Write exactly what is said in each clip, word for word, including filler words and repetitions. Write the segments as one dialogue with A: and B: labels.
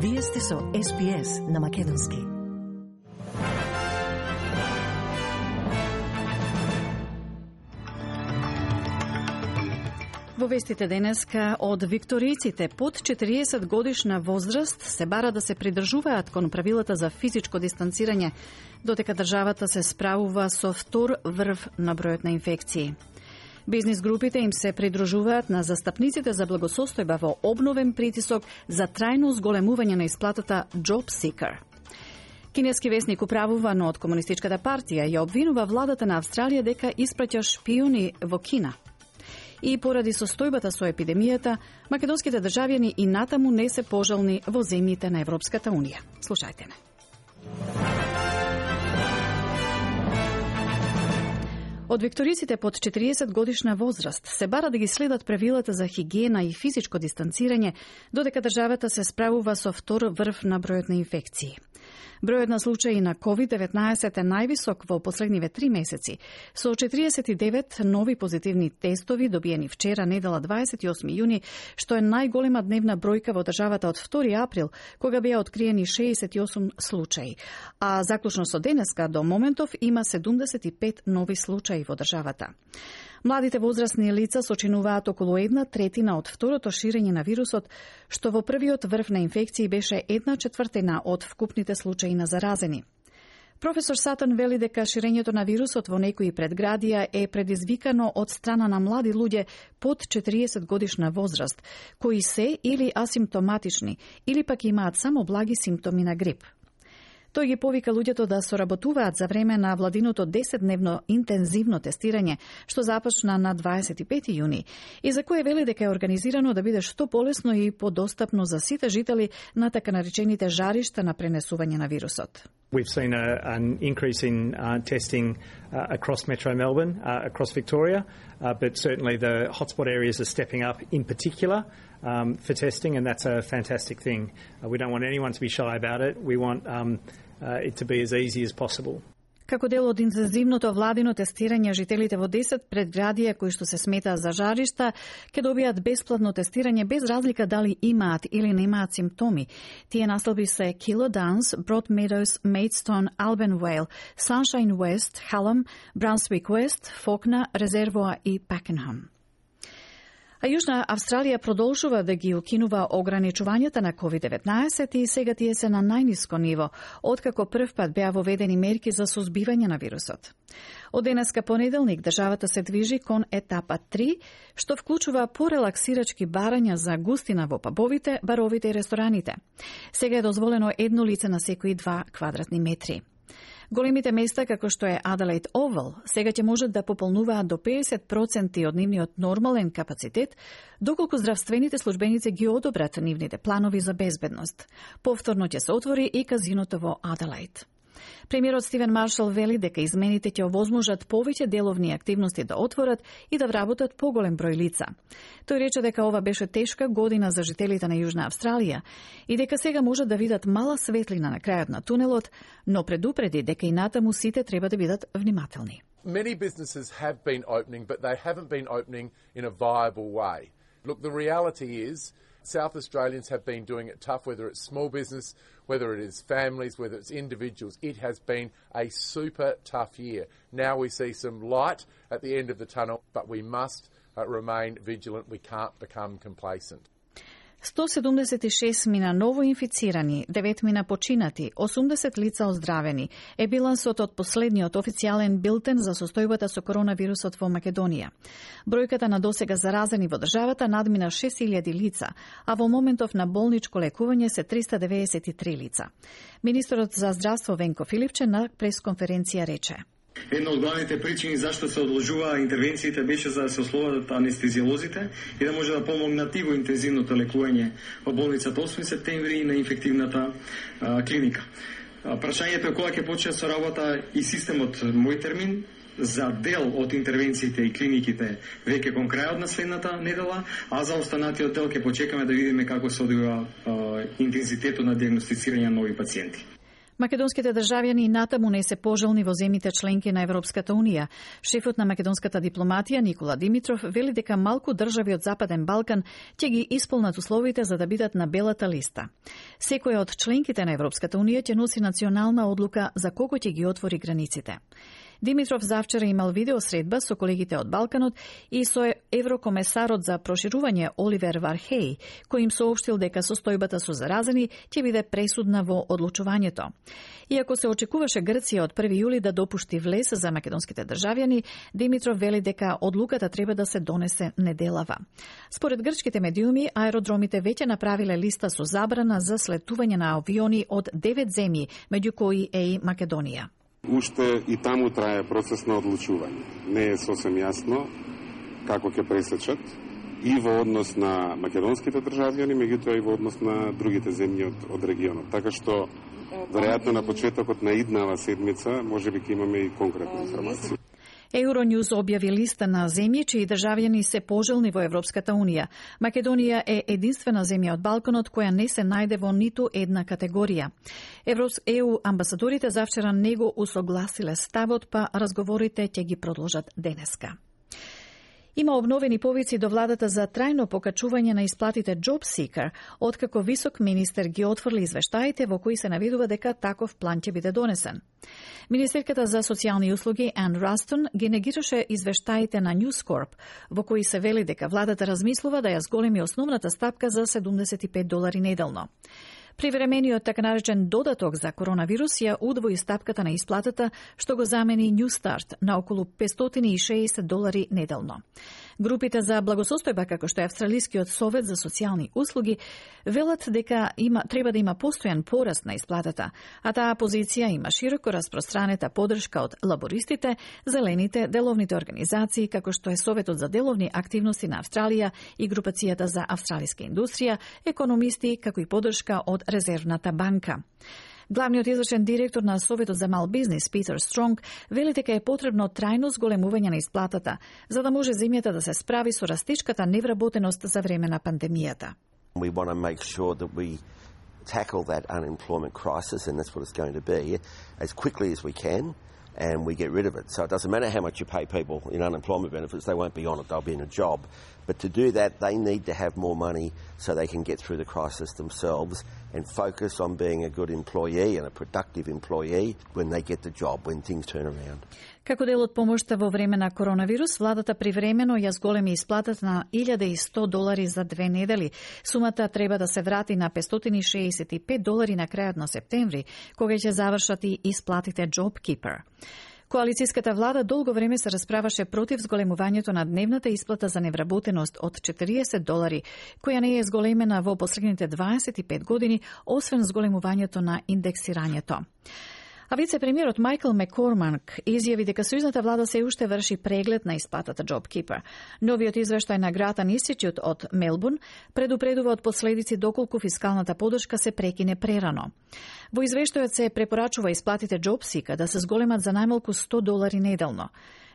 A: Вие сте со Ес Би Ес на македонски. Во вестите денеска од викторијците под четириесет годишна возраст се бара да се придржуваат кон правилата за физичко дистанцирање, додека државата се справува со втор врв на бројот на инфекции. Бизнис групите им се придружуваат на застапниците за благосостојба во обновен притисок за трајно зголемување на исплатата Job Seeker. Кинески весник управувано од Комунистичката партија ја обвинува владата на Австралија дека испраќа шпиони во Кина. И поради состојбата со епидемијата, македонските државјани и натаму не се пожални во земјите на Европската Унија. Слушајте не. Од викториците под четириесет годишна возраст се бара да ги следат правилата за хигиена и физичко дистанцирање, додека државата се справува со втор врв на бројот на инфекции. Бројот на случаи на ковид деветнаесет е највисок во последниве три месеци, со четириесет и девет нови позитивни тестови добиени вчера, недела дваесет и осми јуни, што е најголема дневна бројка во државата од втори април, кога беа откриени шеесет и осум случаи, а заклучно со денеска до моментов има седумдесет и пет нови случаи во државата. Младите возрастни лица сочинуваат околу една третина од второто ширење на вирусот, што во првиот врв на инфекции беше една четвртина од вкупните случаи на заразени. Професор Сатан вели дека ширењето на вирусот во некои предградија е предизвикано од страна на млади луѓе под четириесет годишна возраст, кои се или асимптоматични, или пак имаат само благи симптоми на грип. Тој ги повика луѓето да соработуваат за време на владиното десетдневно интензивно тестирање, што започна на дваесет и пети јуни, и за кое вели дека е организирано да биде што полесно и подостапно за сите жители на така наречените жаришта на пренесување на вирусот.
B: We've seen a, an increase in uh, testing uh, across Metro Melbourne, uh, across Victoria, uh, but certainly the hotspot areas are stepping up in particular um, for testing, and that's a fantastic thing. Uh, we don't want anyone to be shy about it. We want um, uh, it to be as easy as possible.
A: Како дел од интензивното владино тестирање, жителите во десет предградија кои што се сметаат за жаришта ќе добијат бесплатно тестирање без разлика дали имаат или немаат симптоми. Тие наслови се Kilo Downs, Broadmeadows, Maidstone, Alban Vale, Sunshine West, Hallam, Brunswick West, Fawkner, Reservoir и Pakenham. А Јужна Австралија продолжува да ги укинува ограничувањата на ковид деветнаесет и сега тие се на најниско ниво, откако прв пат беа воведени мерки за сузбивање на вирусот. Од денеска понеделник државата се движи кон етапа три, што вклучува порелаксирачки барања за густина во пабовите, баровите и рестораните. Сега е дозволено едно лице на секои два квадратни метри. Големите места, како што е Adelaide Oval, сега ќе можат да пополнуваат до педесет проценти од нивниот нормален капацитет, доколку здравствените службеници ги одобрат нивните планови за безбедност. Повторно ќе се отвори и казиното во Adelaide. Премиерот Стивен Маршал вели дека измените ќе овозможат повеќе деловни активности да отворат и да вработат поголем број лица. Тој рече дека ова беше тешка година за жителите на Јужна Австралија и дека сега можат да видат мала светлина на крајот на тунелот, но предупреди дека и натаму сите треба да бидат внимателни.
C: Many businesses have been opening, but they haven't been opening in a viable way. Look, the reality is South Australians have been doing it tough, whether it's small business, whether it is families, whether it's individuals. It has been a super tough year. Now we see some light at the end of the tunnel, but we must uh, remain vigilant. We can't become complacent.
A: сто седумдесет и шест мина ново инфицирани, девет мина починати, осумдесет лица оздравени е билансот од последниот официјален билтен за состојбата со коронавирусот во Македонија. Бројката на досега заразени во државата надмина шест илјади лица, а во моментов на болничко лекување се триста деветдесет и три лица. Министерот за здравство Венко Филипче на пресконференција рече:
D: Една од главните причини зашто се одложува интервенциите беше за да се ослободат анестезиолозите и да може да помогнат и во интензивното лекување во болницата осми септември и на инфективната а, клиника. А, прашањето е кога ќе почне со работа и системот Мој термин за дел од интервенциите и клиниките веќе кон крајот на следната недела, а за останатиот дел ќе почекаме да видиме како се одвива интензитетот на дијагностицирање на нови пациенти.
A: Македонските државјани натаму не се пожелни во земјите членки на Европската Унија. Шефот на македонската дипломатија Никола Димитров вели дека малку држави од Западен Балкан ќе ги исполнат условите за да бидат на белата листа. Секоја од членките на Европската Унија ќе носи национална одлука за кого ќе ги отвори границите. Димитров завчера имал видеосредба со колегите од Балканот и со еврокомесарот за проширување Оливер Вархеј, кој им соопштил дека состојбата со заразени ќе биде пресудна во одлучувањето. Иако се очекуваше Грција од први јули да допушти влез за македонските државјани, Димитров вели дека одлуката треба да се донесе неделава. Според грчките медиуми, аеродромите веќе направиле листа со забрана за слетување на авиони од девет земји, меѓу кои е и Македонија.
E: Уште и таму трае процес на одлучување. Не е сосем јасно како ќе пресечат и во однос на македонските државјани, меѓутоа и во однос на другите земји од, од регионот. Така што, веројатно на почетокот на иднава седмица, можеби ќе имаме и конкретни информации.
A: Euronews објави листа на земји чии државјани се пожелни во Европската Унија. Македонија е единствена земја од Балканот која не се најде во ниту една категорија. Е У амбасадорите завчера не го усогласиле ставот, па разговорите ќе ги продолжат денеска. Има обновени повици до владата за трајно покачување на исплатите Job Seeker, откако висок министер ги отфрли извештаите во кои се наведува дека таков план ќе биде донесен. Министерката за социјални услуги Ан Растон ги негираше извештаите на News Corp, во кои се вели дека владата размислува да ја зголеми основната стапка за седумдесет и пет долари неделно. Привремениот така наречен додаток за коронавирус ја удвои стапката на исплатата, што го замени New Start на околу петстотини и шеесет долари неделно. Групите за благосостојба, како што е Австралискиот совет за социјални услуги, велат дека има, треба да има постојан пораст на исплатата, а таа позиција има широко распространета поддршка од лабористите, зелените, деловните организации, како што е Советот за деловни активности на Австралија и Групацијата за австралиска индустрија, економисти, како и поддршка од Резервната банка. Главниот извршен директор на Советот за мал бизнис, Питер Стронг, вели дека е потребно трајно зголемување на исплатата, за да може земјата да се справи со растичката невработеност за време на пандемијата.
F: We want to make sure that we tackle that unemployment crisis, and that's what it's going to be, as quickly as we can, and we get rid of it. So it doesn't matter how much you pay people in unemployment benefits, they won't be on it, they'll be in a job. But to do that, they need to have more money so they can get through the crisis themselves and focus on being a good employee and a productive employee when they get the job, when things turn around.
A: Како дел од помошта во време на коронавирус, владата привремено ја зголеми исплатата на илјада и сто долари за две недели. Сумата треба да се врати на петстотини и шеесет и пет долари на крајот на септември, кога ќе завршат и исплатите JobKeeper. Коалицијската влада долго време се расправаше против зголемувањето на дневната исплата за невработеност од четириесет долари, која не е зголемена во последните дваесет и пет години, освен зголемувањето на индексирањето. А вице-премиерот Майкл Маккормак изјави дека сојузната влада се уште врши преглед на исплатата JobKeeper. Новиот извештај на Гратан Институт од Мелбурн предупредува од последици доколку фискалната поддршка се прекине прерано. Во извештајот се препорачува исплатите JobSeeker да се зголемат за најмалку сто долари неделно.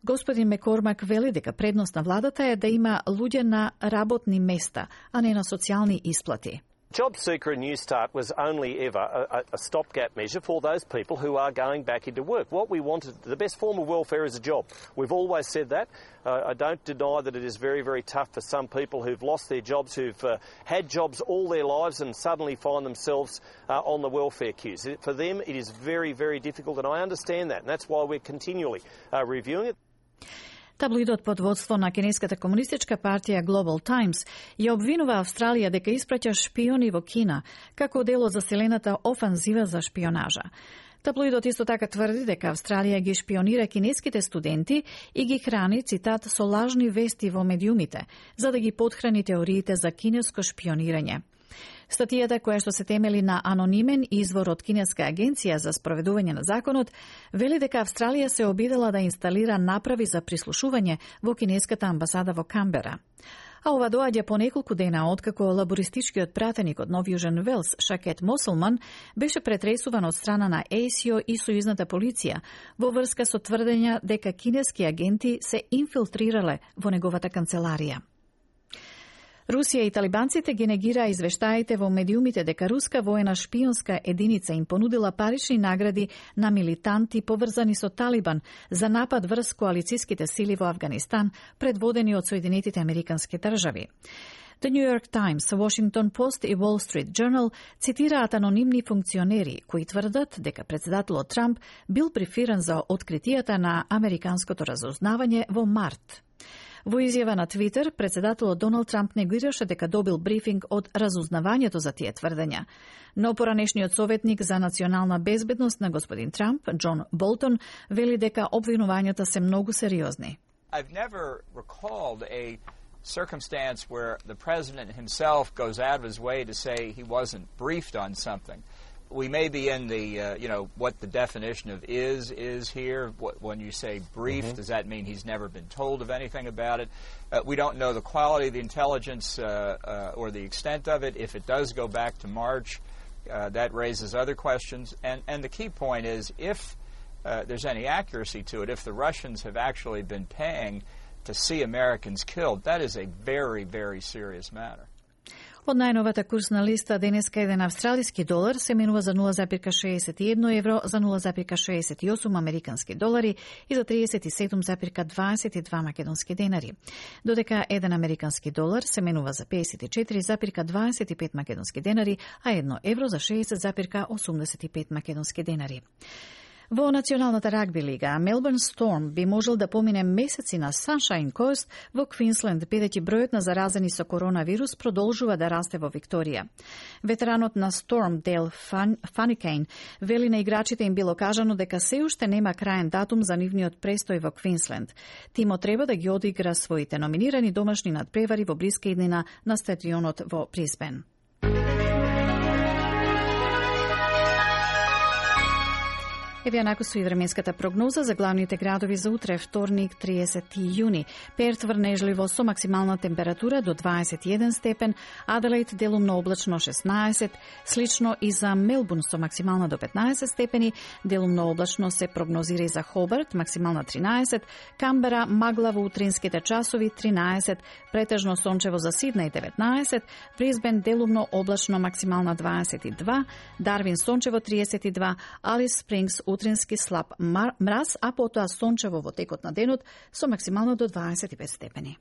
A: Господин Маккормак вели дека предност на владата е да има луѓе на работни места, а не на социјални исплати.
G: JobSeeker and New Start was only ever a, a stopgap measure for those people who are going back into work. What we wanted, the best form of welfare is a job. We've always said that. Uh, I don't deny that it is very, very tough for some people who've lost their jobs, who've uh, had jobs all their lives and suddenly find themselves uh, on the welfare queues. For them, it is very, very difficult, and I understand that, and that's why we're continually uh, reviewing it.
A: Таблоидот под водство на Кинеската комунистичка партија Global Times ја обвинува Австралија дека испраќа шпиони во Кина како дел од заселената офанзива за шпионажа. Таблоидот исто така тврди дека Австралија ги шпионира кинеските студенти и ги храни, цитат, со лажни вести во медиумите, за да ги потхрани теориите за кинеско шпионирање. Статијата, која што се темели на анонимен извор од кинеска агенција за спроведување на законот, вели дека Австралија се обидела да инсталира направи за прислушување во кинеската амбасада во Камбера. А ова доаѓа по неколку дена откако лабористичкиот пратеник од Нов Јужен Велс, Шакет Мосулман, беше претресуван од страна на Е С И О и сојузната полиција во врска со тврдења дека кинески агенти се инфилтрирале во неговата канцеларија. Русија и талибанците ги негираа извештаите во медиумите дека руска воена шпионска единица им понудила парични награди на милитанти поврзани со Талибан за напад врз коалициските сили во Авганистан, предводени од Соединетите Американски држави. The New York Times, Washington Post и Wall Street Journal цитираат анонимни функционери кои тврдат дека председателот Трамп бил брифиран за откритијата на американското разузнавање во март. Во изјава на Твитер, председателот Доналд Трамп негираше дека добил брифинг од разузнавањето за тие тврдења. Но поранешниот советник за национална безбедност на господин Трамп, Џон Болтон, вели дека обвинувањата се многу сериозни.
H: I've never recalled a circumstance where the president himself goes out of his way to say he wasn't briefed on something. We may be in the, uh, you know, what the definition of is, is here. What, when you say briefed, mm-hmm. does that mean he's never been told of anything about it? Uh, we don't know the quality of the intelligence uh, uh, or the extent of it. If it does go back to March, uh, that raises other questions. And, and the key point is if uh, there's any accuracy to it, if the Russians have actually been paying to see Americans killed, that is a very, very serious matter.
A: Од најновата курсна листа денеска еден австралиски долар се менува за нула запирка шеесет и едно евро, за нула запирка шеесет и осум американски долари и за триесет и седум запирка дваесет и два македонски денари. Додека еден американски долар се менува за пеесет и четири запирка дваесет и пет македонски денари, а едно евро за шеесет запирка осумдесет и пет македонски денари. Во Националната рагби лига, Мелбурн Сторм би можел да помине месеци на Sunshine Coast во Квинсленд, бидејќи бројот на заразени со коронавирус продолжува да расте во Викторија. Ветеранот на Сторм, Дейл Фаникейн, вели на играчите им било кажано дека се уште нема краен датум за нивниот престој во Квинсленд. Тимот треба да ги одигра своите номинирани домашни надпревари во блиска иднина на стадионот во Брисбен. Еве накусу и временската прогноза за главните градови за утре, вторник, триесети јуни. Перт врнежливо со максимална температура до дваесет и еден степен, Аделаид делумно облачно шеснаесет, слично и за Мелбурн со максимална до петнаесет степени, делумно облачно се прогнозира и за Хобарт, максимална тринаесет, Камбера магла во утринските часови тринаесет, претежно сончево за Сиднеј деветнаесет, Брисбен делумно облачно максимална дваесет и два, Дарвин сончево триесет и два, Алис Спрингс утрински слаб мраз, а потоа сончево во текот на денот со максимално до дваесет и пет степени.